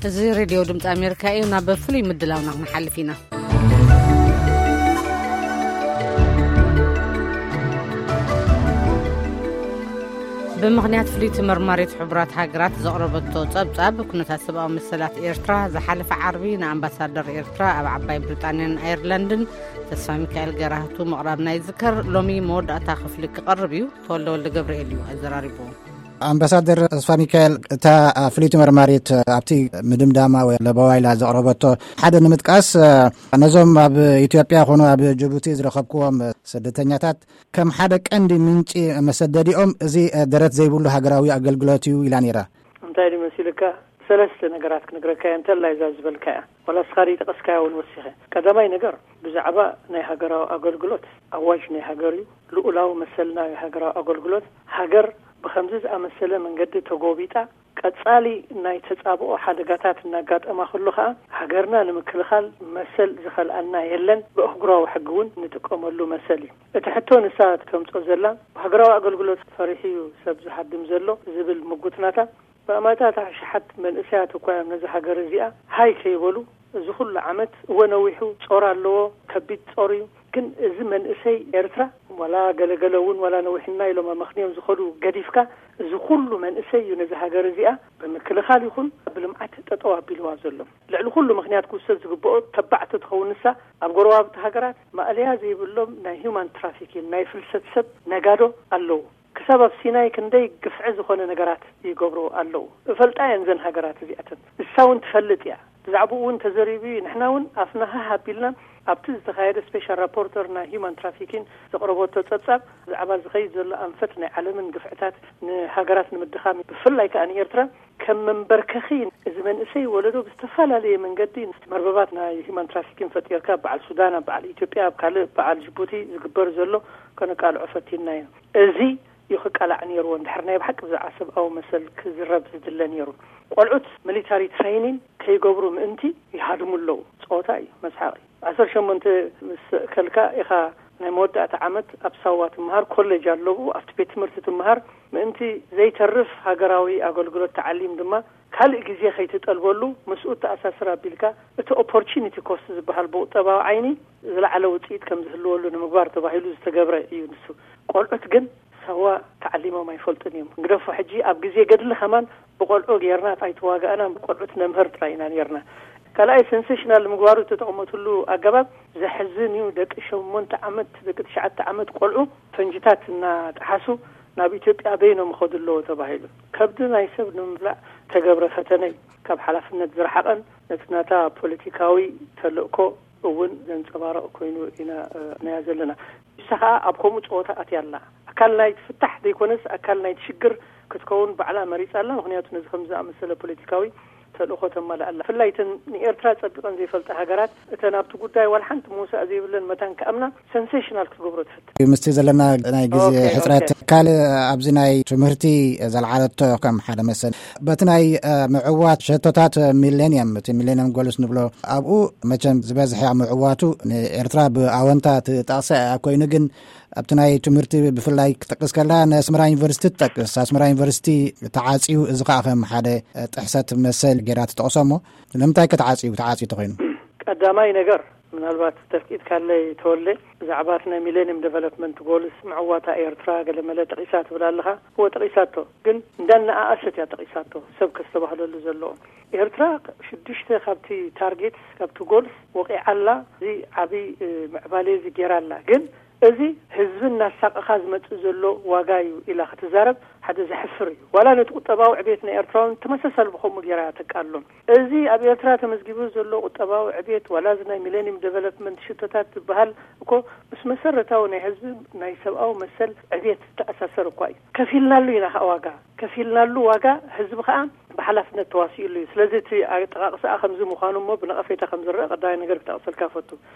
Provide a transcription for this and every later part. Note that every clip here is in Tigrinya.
እዚ ሬድዮ ድምፂ ኣሜሪካ እዩ። ናብ ፍሉይ ምድላውና ክንሓልፍ ኢና። ብምኽንያት ፍልይቲ መርማሪት ሕቡራት ሃገራት ዘቕረበቶ ጸብጻብ ኩነታት ሰብኣዊ መሰላት ኤርትራ፣ ዝሓለፈ ዓርቢ ንኣምባሳደር ኤርትራ ኣብ ዓባይ ብሪጣንያን ኣየርላንድን ተስፋ ሚካኤል ገራህቱ ምቕራብና ይዝከር። ሎሚ መወዳእታ ክፍሊ ክቐርብ እዩ። ተወልደ ወልደ ገብርኤል እዩ ኣዘራሪቡ። ኣምባሳደር ተስፋ ሚካኤል፣ እታ ፍልይቲ መርማሪት ኣብቲ ምድምዳማ ወይ ለበዋ ኢላ ዘቕረበቶ ሓደ ንምጥቃስ፣ ነዞም ኣብ ኢትዮጵያ ኮኑ ኣብ ጅቡቲ ዝረኸብክዎም ስደተኛታት ከም ሓደ ቀንዲ ምንጪ መሰደዲኦም እዚ ደረት ዘይብሉ ሃገራዊ ኣገልግሎት እዩ ኢላ ነይራ። እንታይ ድዩ መሲልካ? ሰለስተ ነገራት ክነግረካ እየ፣ እንተላይ እዛ ዝበልካ እያ። ዋላ እስኻ ድዩ ጠቐስካያ እውን ወሲኸ። ቀዳማይ ነገር፣ ብዛዕባ ናይ ሃገራዊ ኣገልግሎት፣ ኣዋጅ ናይ ሃገር እዩ። ልኡላዊ መሰል ናይ ሃገራዊ ኣገልግሎት፣ ሃገር ብኸምዚ ዝኣመሰለ መንገዲ ተጎቢጣ፣ ቀጻሊ ናይ ተጻብኦ ሓደጋታት እናጋጠማ ከሎ ኸኣ፣ ሃገርና ንምክልኻል መሰል ዝኸልኣና የለን። ብኣህጉራዊ ሕጊ እውን ንጥቀመሉ መሰል እዩ። እቲ ሕቶ ንሳ ተምጾ ዘላ፣ ሃገራዊ ኣገልግሎት ፈሪሑ እዩ ሰብ ዝሃድም ዘሎ ዝብል ምጉት ናታ፣ ብኣማታት ኣሽሓት መንእሰያት እኳ እዮም ነዚ ሃገር እዚኣ ሃይ ከይበሉ፣ እዚ ኩሉ ዓመት፣ እወ ነዊሑ፣ ጾር ኣለዎ፣ ከቢድ ጾር እዩ። ግን እዚ መንእሰይ ኤርትራ፣ ዋላ ገለገለ እውን፣ ዋላ ነዊሕና ኢሎም ኣመኽንዮም ዝኸዱ ገዲፍካ፣ እዚ ኩሉ መንእሰይ እዩ ነዚ ሃገር እዚኣ ብምክልኻል ይኹን ብልምዓት ጠጠው ኣቢልዋ ዘሎ። ልዕሊ ኩሉ ምኽንያት ክውሰድ ዝግብኦ፣ ተባዕ ተትኸውን ንሳ፣ ኣብ ጎረባብቲ ሃገራት ማእለያ ዘይብሎም ናይ ሂውማን ትራፊኪን፣ ናይ ፍልሰት ሰብ ነጋዶ ኣለዉ። ክሳብ ኣብ ሲናይ ክንደይ ግፍዒ ዝኾነ ነገራት ይገብሩ ኣለዉ። እፈልጣ እየን እዘን ሃገራት እዚኣተን። ንሳ እውን ትፈልጥ እያ። ብዛዕባኡ እውን ተዘሪቡ እዩ። ንሕና እውን ኣፍና ሃህ ኣቢልና ኣብቲ ዝተኻየደ ስፔሻል ራፖርተር ናይ ሂውማን ትራፊኪን ዘቕረበቶ ጸብጻብ፣ ብዛዕባ ዝኸይድ ዘሎ ኣንፈት ናይ ዓለምን ግፍዕታት ንሃገራት ንምድኻም፣ ብፍላይ ከኣ ንኤርትራ ከም መንበርከኺ፣ እዚ መንእሰይ ወለዶ ብዝተፈላለየ መንገዲ፣ መርበባት ናይ ሂውማን ትራፊኪን ፈጢርካ፣ በዓል ሱዳን፣ ኣብ በዓል ኢትዮጵያ፣ ኣብ ካልእ በዓል ጅቡቲ ዝግበር ዘሎ ከነቃልዖ ፈቲንና ኢና። እዚ እዩ ክቃላዕ ነይርዎ። እንድሕር ናይ ብሓቂ ብዛዕባ ሰብኣዊ መሰል ክዝረብ ዝድለ ነይሩ። ቆልዑት ሚሊታሪ ትሬኒን ከይገብሩ ምእንቲ ይሃድሙ ኣለዉ። ጸወታ እዩ፣ መስሓቕ እዩ። ዓሰርተ ሸሞንተ ምስ ከልካ ኢኻ ናይ መወዳእታ ዓመት ኣብ ሳዋ ትመሃር፣ ኮሌጅ ኣለዉ፣ ኣብቲ ቤት ትምህርቲ ትመሃር። ምእንቲ ዘይተርፍ ሃገራዊ ኣገልግሎት ተዓሊም ድማ ካልእ ግዜ ከይትጠልበሉ፣ ምስኡ ተኣሳስር ኣቢልካ፣ እቲ ኦፖርቹኒቲ ኮስት ዝበሃል ብቁጠባዊ ዓይኒ ዝለዓለ ውጽኢት ከም ዝህልወሉ ንምግባር ተባሂሉ ዝተገብረ እዩ ንሱ። ቆልዑት ግን ሳዋ ተዓሊሞም ኣይፈልጡን እዮም። ግደፎ ሕጂ ኣብ ግዜ ገድሊ ከማን ብቆልዑ ጌርና ኣይተዋጋእናን፣ ብቆልዑት ነምህር ጥራይ ኢና ኔርና። ካልኣይ፣ ሰንሴሽናል ንምግባሩ ዝተጠቕመትሉ ኣገባብ ዘሕዝን እዩ። ደቂ ሸሞንተ ዓመት፣ ደቂ ትሽዓተ ዓመት ቆልዑ ፈንጅታት እናጠሓሱ ናብ ኢትዮጵያ በይኖም ይኸዱ ኣለዉ ተባሂሉ። ከብዲ ናይ ሰብ ንምብላዕ ተገብረ ፈተነ እዩ። ካብ ሓላፍነት ዝረሓቐን ነቲ ናታ ፖለቲካዊ ተልእኮ እውን ዘንጸባረቕ ኮይኑ ኢና፣ እ፣ ርኣናያ ዘለና። ንሳ ኸኣ ኣብ ከምኡ ጸወታ ኣትያ ኣላ። ኣካል ናይቲ ፍታሕ ዘይኮነስ፣ ኣካል ናይቲ ሽግር ክትከውን ባዕላ መሪጻ ኣላ። ምኽንያቱ፣ ነዚ ከም ዝኣመሰለ ፖለቲካዊ ተልእኾ ተማልእ ኣላ። ብፍላይ እተን ንኤርትራ ጸቢቐን ዘይፈልጣ ሃገራት፣ እተን ኣብቲ ጉዳይ ዋላ ሓንቲ ምውሳእ ዘይብለን መታን ክኣምና፣ ሰንሴሽናል ክትገብሮ ትፈትን። ምስቲ ዘለና ናይ ግዜ ኦኬ፣ ሕጽረት፣ ኦኬ። ካልእ ኣብዚ ናይ ትምህርቲ ዘልዓለቶ ከም ሓደ መሰል፣ በቲ ናይ፣ እ፣ ምዕዋት ሸቶታት ሚሌኒየም፣ እቲ ሚሌኒየም ጎልስ ንብሎ፣ ኣብኡ መቸም ዝበዝሐ ምዕዋቱ ንኤርትራ ብኣወንታ ትጠቕሳ እያ። ኮይኑ ግን ኣብቲ ናይ ትምህርቲ ብፍላይ ክጠቅስ ከላ፣ ንኣስመራ ዩኒቨርሲቲ ትጠቅስ። ኣስመራ ዩኒቨርሲቲ ተዓጽዩ፣ እዚ ከኣ ከም ሓደ ጥሕሰት መሰል ጌራ ትጠቕሶ። እሞ ንምንታይ ከ ተዓጽዩ፣ ተዓጽዩ ተኾይኑ? ቀዳማይ ነገር፣ ምናልባት ተፍቂድካለይ ተወልደ፣ ብዛዕባ እቲ ናይ ሚሌኒየም ዴቨሎፕመንት ጎልስ ምዕዋታ ኤርትራ ገለመለ ጠቒሳ ትብል ኣለኻ። እወ፣ ጠቒሳቶ፣ ግን እንዳነኣኣሰት እያ ጠቒሳቶ፣ ሰብ ከስተባህለሉ ዘለዎ። ኤርትራ ሽዱሽተ ካብቲ ታርጌት፣ ካብቲ ጎልስ ወቒዓ ኣላ። እዚ ዓቢ፣ እ፣ ምዕባለ እዚ ጌራ ኣላ። ግን እዚ ህዝቢ እናሳቐኻ ዝመጽእ ዘሎ ዋጋ እዩ ኢላ ክትዛረብ ሓደ ዘሕፍር እዩ። ዋላ ነቲ ቁጠባዊ ዕቤት ናይ ኤርትራ እውን ተመሳሳሊ ብኸምኡ ጌራ እያ ተቃልሎ። እዚ ኣብ ኤርትራ ተመዝጊቡ ዘሎ ቁጠባዊ ዕቤት፣ ዋላ እዚ ናይ ሚሌኒየም ዴቨሎፕመንት ሽቶታት ዝበሃል እኮ ምስ መሰረታዊ ናይ ህዝቢ ናይ ሰብኣዊ መሰል ዕቤት ዝተኣሳሰር እኳ እዩ። ከፊልናሉ ኢና ከኣ ዋጋ። ከፊልናሉ ዋጋ፣ ህዝቢ ከኣ ብሓላፍነት ተዋሲኡሉ እዩ። ስለዚ እቲ ኣጠቓቕሳኣ ከምዚ ምዃኑ እሞ ብነቐፌታ ከም ዝረአ ቀዳማይ ነገር ክጠቕሰልካ እፈቱ።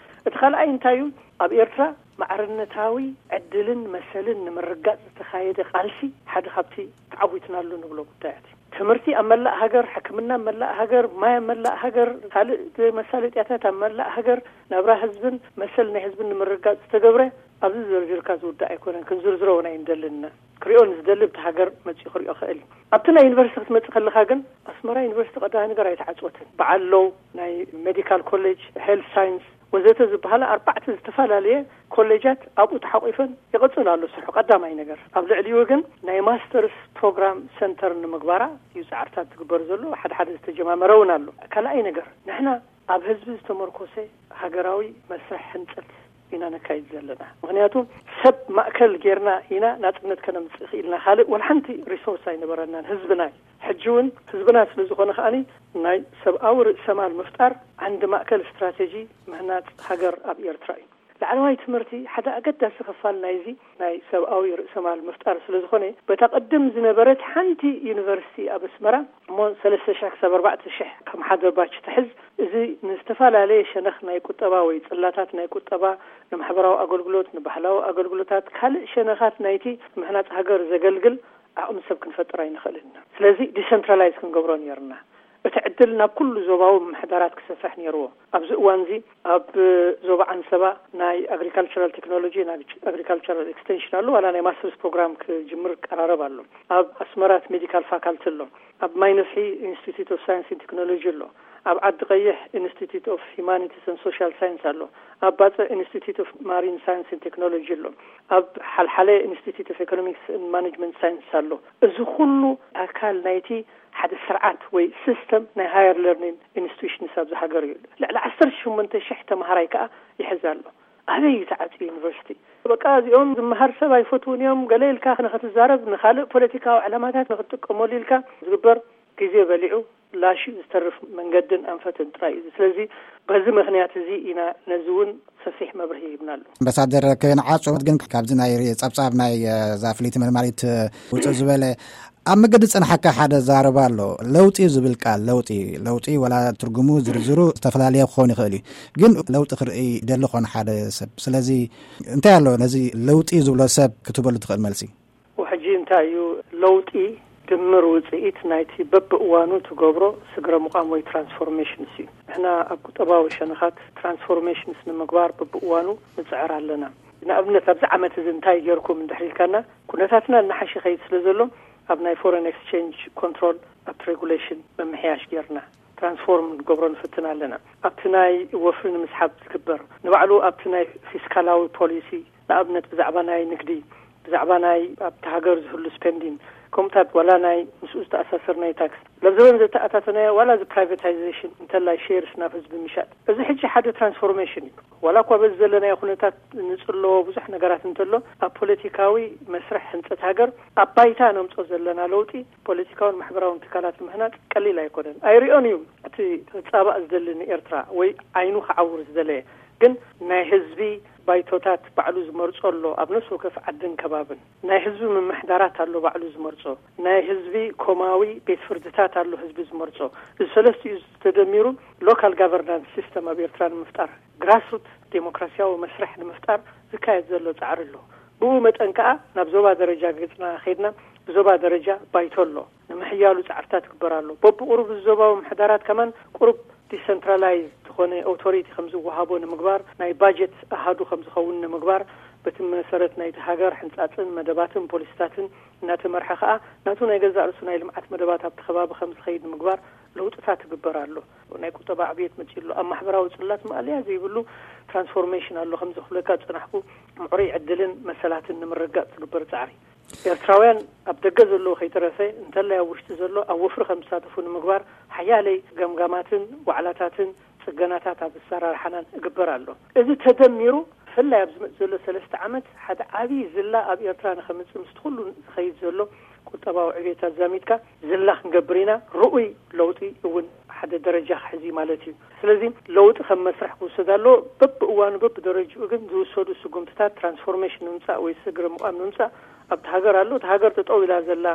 እቲ ካልኣይ እንታይ እዩ? ኣብ ኤርትራ ማዕርነታዊ ዕድልን መሰልን ንምርጋጽ ዝተኻየደ ቃልሲ ሓደ ካብቲ ተዓዊትናሉ ንብሎ ጉዳያት እዩ። ትምህርቲ ኣብ መላእ ሃገር፣ ሕክምና ኣብ መላእ ሃገር፣ ማይ ኣብ መላእ ሃገር፣ ካልእ መሳለጥያታት ኣብ መላእ ሃገር፣ ናብራ ህዝብን መሰል ናይ ህዝብን ንምርጋጽ ዝተገብረ ኣብዚ ዘርዚርካ ዝውዳእ ኣይኮነን። ክንዝርዝሮ እውን ኣይንደልን ኢና። ክሪኦ ንዝደሊ ብቲ ሃገር መጺኡ ክሪኦ ክእል እዩ። ኣብቲ ናይ ዩኒቨርሲቲ ክትመጽእ ከለኻ ግን ኣስመራ ዩኒቨርሲቲ ቀዳማይ ነገር ኣይተዓጽወትን። በዓል ሎው፣ ናይ ሜዲካል ኮሌጅ፣ ሄልት ሳይንስ ወዘተ ዝበሃላ ኣርባዕተ ዝተፈላለየ ኮሌጃት ኣብኡ ተሓቂፈን ይቕጽል ኣሎ ስርሑ ቀዳማይ ነገር። ኣብ ልዕሊኡ ግን ናይ ማስተርስ ፕሮግራም ሰንተር ንምግባራ እዩ ጻዕርታት ዝግበር ዘሎ። ሓደ ሓደ ዝተጀማመረ እውን ኣሎ። ካልኣይ ነገር ንሕና ኣብ ህዝቢ ዝተመርኮሰ ሃገራዊ መስርሕ ህንጸት ኢና ነካይድ ዘለና። ምኽንያቱ ሰብ ማእከል ጌርና ኢና ናጽነት ከነምጽእ ክኢልና። ካልእ ወላ ሓንቲ ሪሶርስ ኣይነበረናን ህዝብና እዩ። ሕጂ እውን ህዝብና ስለ ዝኾነ ከኣኒ ናይ ሰብኣዊ ርእሰማል ምፍጣር ዓንዲ ማእከል ስትራቴጂ ምህናጽ ሃገር ኣብ ኤርትራ እዩ። ላዕለዋይ ትምህርቲ ሓደ ኣገዳሲ ክፋል ናይዚ ናይ ሰብኣዊ ርእሰማል ምፍጣር ስለ ዝኾነ በታ ቅድም ዝነበረት ሓንቲ ዩኒቨርሲቲ ኣብ ኣስመራ እሞ ሰለስተ ሽሕ ክሳብ ኣርባዕተ ሽሕ ከም ሓደ ባች ትሕዝ። እዚ ንዝተፈላለየ ሸነኽ ናይ ቁጠባ ወይ ጽላታት ናይ ቁጠባ፣ ንማሕበራዊ ኣገልግሎት፣ ንባህላዊ ኣገልግሎታት፣ ካልእ ሸነኻት ናይቲ ምህናጽ ሃገር ዘገልግል ዓቕሚ ሰብ ክንፈጥር ኣይንኽእልን ኢና። ስለዚ ዲሰንትራላይዝ ክንገብሮ ነይርና። እቲ ዕድል ናብ ኩሉ ዞባዊ ምምሕዳራት ክሰፍሕ ነይርዎ። ኣብዚ እዋንዚ ኣብ ዞባ ዓንሰባ ናይ ኣግሪካልቸራል ቴክኖሎጂ፣ ናይ ኣግሪካልቸራል ኤክስቴንሽን ኣሎ፣ ዋላ ናይ ማስተርስ ፕሮግራም ክጅምር ቀራረብ ኣሎ። ኣብ ኣስመራት ሜዲካል ፋካልቲ ኣሎ። ኣብ ማይ ነፍሒ ኢንስቲትዩት ኦፍ ሳይንስ ኤንድ ቴክኖሎጂ ኣሎ። ኣብ ዓዲ ቀይሕ ኢንስቲትዩት ኦፍ ሂማኒቲስ ኤንድ ሶሻል ሳይንስ ኣሎ። ኣብ ባጽዕ ኢንስቲትዩት ኦፍ ማሪን ሳይንስ ኤንድ ቴክኖሎጂ ኣሎ። ኣብ ሓልሓለ ኢንስቲትዩት ኦፍ ኢኮኖሚክስ ኤንድ ማኔጅመንት ሳይንስ ኣሎ። እዚ ኩሉ ኣካል ናይቲ ሓደ ስርዓት ወይ ሲስተም ናይ ሃየር ለርኒንግ ኢንስቲትዩሽንስ ኣብዚ ሃገር እዩ። ልዕሊ ዓሰርተ ሸሞንተ ሽሕ ተምሃራይ ከኣ ይሕዝ ኣሎ። ኣበይ እዩ ተዓጽዩ ዩኒቨርሲቲ? በቃ እዚኦም ዝመሃር ሰብ ኣይፈትውን እዮም ገለ ኢልካ ንኽትዛረብ፣ ንኻልእ ፖለቲካዊ ዕላማታት ንኽትጥቀመሉ ኢልካ ዝግበር ግዜ በሊዑ ላሽ ዝተርፍ መንገድን ኣንፈትን ጥራይ እዩ። ስለዚ በዚ ምኽንያት እዚ ኢና ነዚ እውን ሰፊሕ መብርሂ ሂብናሉ። ኣምባሳደር ከንዓጽወት ግን ካብዚ ናይ ጸብጻብ ናይ፣ እ፣ እዛ ፍልይቲ መርማሪት፣ እ፣ ውጽእ ዝበለ ኣብ መገዲ ጸንሓካ ሓደ ዛረባ ኣሎ። ለውጢ ዝብል ቃል፣ ለውጢ፣ ለውጢ ወላ ትርጉሙ ዝርዝሩ ዝተፈላለየ ክኸውን ይኽእል እዩ። ግን ለውጢ ክርኢ ይደሊ ኾነ ሓደ ሰብ። ስለዚ እንታይ ኣሎ ነዚ ለውጢ ዝብሎ ሰብ ክትበሉ ትኽእል መልሲ? ሕጂ እንታይ እዩ ለውጢ? ድምር ውጽኢት ናይቲ በብእዋኑ ትገብሮ ስግረ ምቋም ወይ ትራንስፎርሜሽንስ እዩ። ንሕና ኣብ ቁጠባዊ ሸነኻት ትራንስፎርሜሽንስ ንምግባር በብእዋኑ ንጽዕር ኣለና። ንኣብነት ኣብዚ ዓመት እዚ እንታይ ጌርኩም እንድሕር ኢልካና፣ ኩነታትና እናሓሸ ኸይድ ስለ ዘሎ ኣብ ናይ ፎረን ኤክስቼንጅ ኮንትሮል ኣብቲ ሬጉሌሽን ምምሕያሽ ጌርና ትራንስፎርም ንገብሮ ንፍትን ኣለና። ኣብቲ ናይ ወፍሪ ንምስሓብ ዝግበር ንባዕሉ ኣብቲ ናይ ፊስካላዊ ፖሊሲ ንኣብነት ብዛዕባ ናይ ንግዲ፣ ብዛዕባ ናይ ኣብቲ ሃገር ዝህሉ ስፔንዲን፣ ከምኡታት ዋላ ናይ ምስኡ ዝተኣሳሰር ናይ ታክስ ለብዘበን ዘተኣታተናዮ ዋላ እዚ ፕራይቬታይዜሽን እንተላይ ሼርስ ናብ ህዝቢ ምሻጥ፣ እዚ ሕጂ ሓደ ትራንስፎርሜሽን እዩ። ዋላ እኳ በዚ ዘለናዮ ኩነታት ንጽለዎ ብዙሕ ነገራት እንተሎ፣ ኣብ ፖለቲካዊ መስርሕ ህንጸት ሃገር ኣብ ባይታ ነምጾ ዘለና ለውጢ ፖለቲካውን ማሕበራውን ትካላት ምህናጽ ቀሊል ኣይኮነን። ኣይሪኦን እዩ እቲ ክጻባእ ዝደሊ ንኤርትራ ወይ ዓይኑ ክዓውር ዝደለየ። ግን ናይ ህዝቢ ባይቶታት ባዕሉ ዝመርጾ ኣሎ። ኣብ ነፍሲ ወከፍ ዓድን ከባብን ናይ ህዝቢ ምምሕዳራት ኣሎ ባዕሉ ዝመርጾ። ናይ ህዝቢ ኮማዊ ቤት ፍርድታት ኣሎ ህዝቢ ዝመርጾ። እዚ ሰለስቲኡ ተደሚሩ ሎካል ጋቨርናንስ ሲስተም ኣብ ኤርትራ ንምፍጣር፣ ግራስሩት ዴሞክራሲያዊ መስርሕ ንምፍጣር ዝካየድ ዘሎ ጻዕሪ ኣሎ። ብኡ መጠን ከኣ ናብ ዞባ ደረጃ ገጽና ኸይድና ብዞባ ደረጃ ባይቶ ኣሎ። ንምሕያሉ ጻዕርታት ይግበር ኣሎ። በብቁሩብ ዞባዊ ምሕዳራት ከማን ቁሩብ ዲሰንትራላይዝ ዝኾነ ኦቶሪቲ ከም ዝወሃቦ ንምግባር፣ ናይ ባጀት ኣሃዱ ከም ዝኸውን ንምግባር፣ በቲ መሰረት ናይቲ ሃገር ሕንጻጽን መደባትን ፖሊሲታትን እናተመርሐ ከኣ ናቱ ናይ ገዛእ ርእሱ ናይ ልምዓት መደባት ኣብቲ ከባቢ ከም ዝኸይድ ንምግባር ለውጥታት ይግበር ኣሎ። ናይ ቁጠባ ዕብየት መጺኡ ኣሎ። ኣብ ማሕበራዊ ጽላት ማእለያ ዘይብሉ ትራንስፎርሜሽን ኣሎ። ከም ዝኽብለካ ዝጸናሕኩ ምዕሩይ ዕድልን መሰላትን ንምርግጋጽ ዝግበር ጻዕሪ። ኤርትራውያን ኣብ ደገ ዘለዉ ከይተረፈ እንተላይ ኣብ ውሽጢ ዘሎ ኣብ ወፍሪ ከም ዝሳተፉ ንምግባር ሓያለይ ገምጋማትን ዋዕላታትን ጽገናታት ኣብ ኣሰራርሓናን እግበር ኣሎ። እዚ ተደሚሩ ብፍላይ ኣብ ዝመጽእ ዘሎ ሰለስተ ዓመት ሓደ ዓብዪ ዝላ ኣብ ኤርትራ ንኸምጽእ ምስቲ ኩሉ ዝኸይድ ዘሎ ቁጠባዊ ዕብየት ኣዛሚድካ ዝላ ክንገብር ኢና። ርኡይ ለውጢ እውን ሓደ ደረጃ ክሕዝ እዩ ማለት እዩ። ስለዚ ለውጢ ከም መስርሕ ክውሰድ ኣለዎ። በብእዋኑ በብደረጅኡ ግን ዝውሰዱ ስጉምትታት ትራንስፎርሜሽን ንምምጻእ ወይ ስግረ ምቋም ንምምጻእ ኣብቲ ሃገር ኣሎ። እቲ ሃገር ጠጠው ኢላ ዘላ፣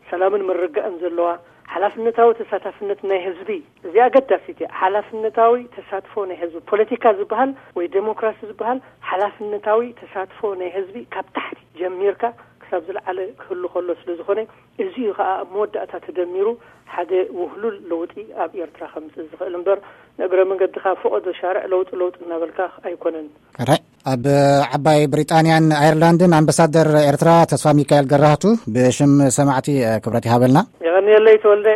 ሰላምን ምርግጋእን ዘለዋ፣ ሓላፍነታዊ ተሳታፍነት ናይ ህዝቢ፣ እዚኣ ኣገዳሲት እያ። ሓላፍነታዊ ተሳትፎ ናይ ህዝቢ፣ ፖለቲካ ዝበሃል ወይ ዴሞክራሲ ዝበሃል ሓላፍነታዊ ተሳትፎ ናይ ህዝቢ ካብ ታሕቲ ጀሚርካ ካብ ዝለዓለ ክህሉ ከሎ ስለ ዝኾነ፣ እዚ እዩ ከዓ ኣብ መወዳእታ ተደሚሩ ሓደ ውህሉል ለውጢ ኣብ ኤርትራ ከምፅእ ዝኽእል እምበር፣ ንእግረ መንገድኻ ፈቐዶ ሻርዕ ለውጢ ለውጢ እናበልካ ኣይኮነን። ሕራይ፣ ኣብ ዓባይ ብሪጣንያን ኣየርላንድን ኣምባሳደር ኤርትራ ተስፋ ሚካኤል ገራህቱ ብሽም ሰማዕቲ ክብረት ይሃበልና። የቐንየለይ ተወልደ።